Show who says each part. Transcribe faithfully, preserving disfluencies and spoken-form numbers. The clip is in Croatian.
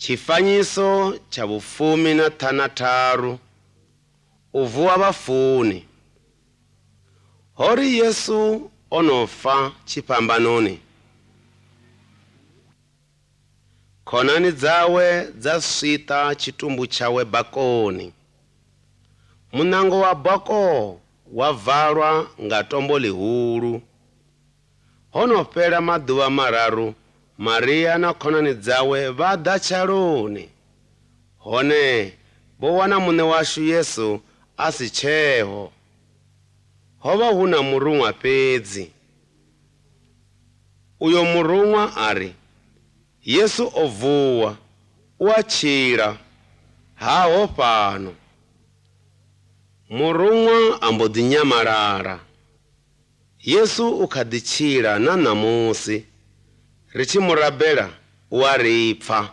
Speaker 1: Chifanyiso cha vufumi na thanataru uvuwa vafuni. Hori Yesu onofa chipambanoni. Khonani dzawe dzaswita chitumbu chawe bakoni. Munango wa bako wavalwa nga tombo lihulu. Honopela maduva mararu Maria na khonani dzawe vada chaloni. Hone bowana mune washu Yesu asicheho. Hova huna murumwa pedzi. Uyo murumwa ari Yesu ovuwa uachira haho pano. Murumwa ambodinyamarara. Yesu ukadichira na namusi richimurabela uaripfa.